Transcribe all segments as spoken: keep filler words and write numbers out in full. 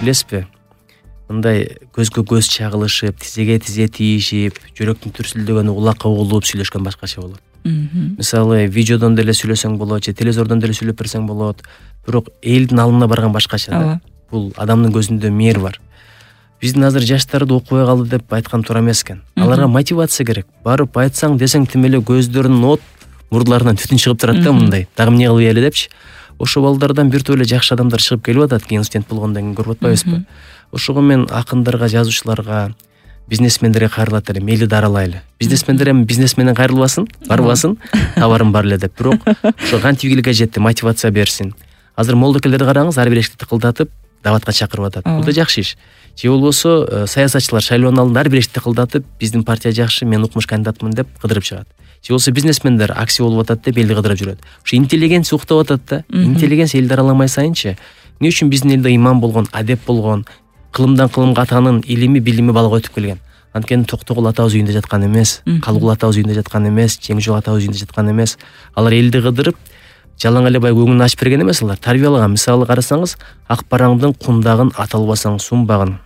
билесизби, мындай көзгө көз чагылышып, тизеге тизе тийишип, жүрөктүн дүрсүлдөгөнү улакка угулуп сүйлөшкөн башкача болот. Мисалы, видеодон деле сүйлөсөң болот, же телевизордон деле сүйлөп берсең болот, бирок элдин алдына барган башкача да. Бул адамдын көзүндө мээр бар. Биздин азыр жаштарды окубай калды деп айткан туура эмес экен. Аларга мотивация керек. Барып айтсаң, десең тим эле көздөрүнүн от, мурдуларынан түтүн чыгып турат да мындай. Дагы эмне кылып эле депчи. Ошо балдардан бир топ эле жакшы адамдар чыгып келип атат, кийин студент болгондон кийин көрүп атпайбызбы? Ошого мен акындарга, жазуучуларга, бизнесмендерге кайрылат элем, мейли даралайлы. Бизнесмендер эми бизнес менен кайрылбасын, барбасын, табарым бар эле деп. Бирок ошо кантип ийгиликке жетти, мотивация берсин. Азыр молдокелерди караңыз, ар бир эшикти тыкылдатып, даватка чакырып атат. Бул да жакшы иш. Же болбосо саясатчылар шайлоонун алдында ар бир эшикти тыкылдатып, биздин партия жакшы, мен укмуш кандидатмын деп кыдырып чыгат. Же болбосо бизнесмендер акция болуп атат деп элди кыдырып жүрөт. Ошо интеллигенция уктап атат да. Интеллигенция элди араламай сайынчы. Эмне үчүн биздин элде иман болгон, адеп болгон, кылымдан кылымга атанын илими, билими балага өтүп келген. Анткени Токтогул атабыз үйүндө жаткан эмес, Калгул атабыз үйүндө жаткан эмес, Жеңжол атабыз үйүндө жаткан эмес. Алар элди кыдырып, жалаң эле баягы өңүн ачып берген эмес, алар тарбиялаган. Мисалы карасаңыз, ак бараңдын кундагын аталбасаң сунбагын,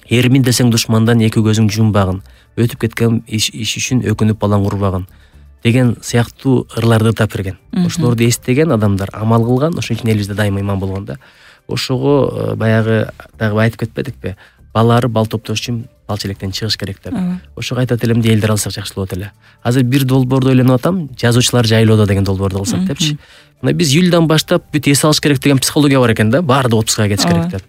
эрмин десең душмандан эки көзүң жумбагын, өтүп кеткен иш үчүн өкүнүп балаң урбагын деген сыяктуу ырларды тап берген. Ошолорду эстеген адамдар амал кылган, ошон үчүн элибизде дайыма иман болгон да. Ошого баягы дагы айтып кетпедикпи? Балары бал топтош үчүн бал челектен чыгыш керек деп. Ошого айтат элем де элдер алсак жакшы болот эле. Азыр бир долбоорду ойлонуп атам, жазуучулар жайлоодо деген долбоорду кылсак депчи. Мына биз июльдан баштап бүт эс алыш керек деген психология бар экен да, баарды отпускага кетиш керек деп.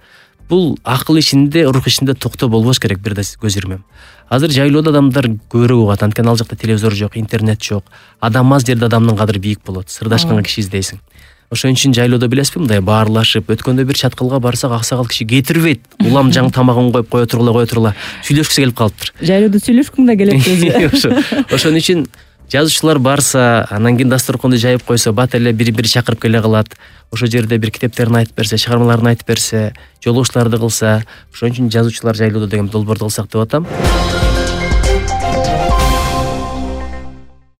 Бул акыл ишинде, рух ишинде токтоо болбош керек, бир да көз ирмем. Азыр жайлоодо адамдар көбүрөөк угат, анткени ал жакта телевизор жок, интернет жок. Адам аз жерде адамдын кадыры бийик болот. Сырдашкан киши издейсиң. Ошон үчүн жайлоодо билесизби, мындай баарлашып, өткөндө бир чаткылга барсак, аксакал киши кетирбейт. Улам жаң тамагын коюп кое тургула, кое тургула. Сүйлөшкүсү келип калыптыр. Жайлоодо сүйлөшкүң да келет өзү. Ошон үчүн жазуучулар барса, анан кийин дасторконду жайып койсо, бат эле бири-бири чакырып келе калат. Ошо жерде бир китептерин айтып берсе, чыгармаларын айтып берсе, жолугушууларды кылса, ошон үчүн жазуучулар жайлоодо деген долбоорду кылсак деп атам.